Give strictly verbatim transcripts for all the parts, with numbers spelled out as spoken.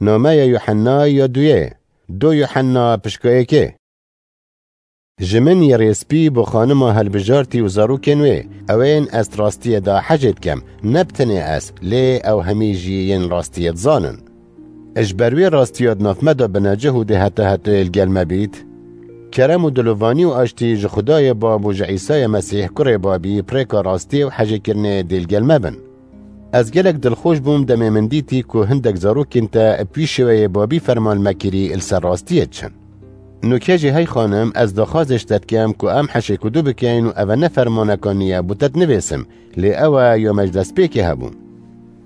Nameya Yuhenna ya duyê, do Yuhenna pişka yekê. Ji min yê rêspî bo xanima hilbijartî û zarokên wê, ew ên ez di rastiyê de hecê dikem, ne bi tenê ez, lê ew hemî jî yên rastiyê dizanin. Ji ber wê rastiya di nav me de binecih û dê heta hetayê li gel me bît. Kerem û dilovanî û aştî ji Xwedayê Bab û ji Îsayê Mesîh kurê Babî pirêka rastiyê û hecêkirinê dê li gel me bin. Ez gelek dilxweş bûm demê min dîtî ku hindek zarokên te bi wî şêweyê Babî ferman me kirî li ser rastiyê diçin. Nûke jî hey xanim, ez daxwazê ji te dikem ku em heşê ku du bikeyn û eve ne fermaneka nû ye bo te dinivîsim, lê ew e ya me ji destpêkê hebû.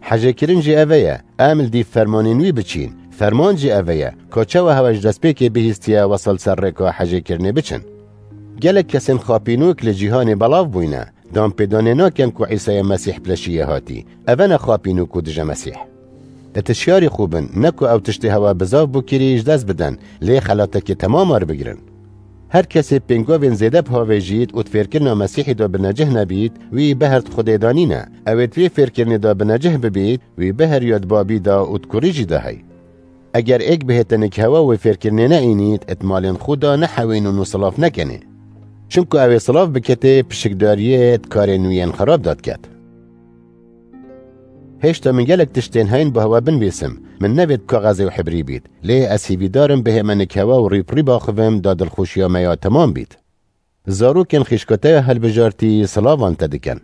Hecêkirin jî eve ye, em li dîv fermanên wî biçîn. Ferman jî eve ye, ka çawa hewe ji destpêkê bihîstiye wesal ser rêka hecêkirinê biçin. Gelek kesên xapînok li cîhanê belav bûyne, danpêdanê nakin ku Îsayê Mesîh bi leşiyê hatî. Eve ne xapînok û dije Mesîh. Di tişyarî xwe bin, ne ku ew tiştê hewe bizav bû kirî ji dest bidin, lê xelatekê temam werbigirin. Her kesê pêngavên zêde bihavêjît û di fêrkirina Mesîhî de binecih nebît, wî behr di Xwedê de nîne. Ew ê di vê fêrkirinê de binecih bibît, wî behr ya di Babî de û di kurî jî de hey. Eger êk bihête nik hewe wê fêrkirinê neînît, di malên xwe de nehewînin û silav nekenê. Çimku ew ê silav biketê, pişikdariyê di karên wî yên xerab de diket. Hêşta min gelek tiştên heyn bi hewe binivîsim. Min nevêt bi kaxezê û hibrî bît. Lê ez hîvîdar im bihême nik hewe û rî bi rî baxivim da dilxweşiya me ya temam bît. Zarokên xîşka te ya hilbijartî silavan te dikin.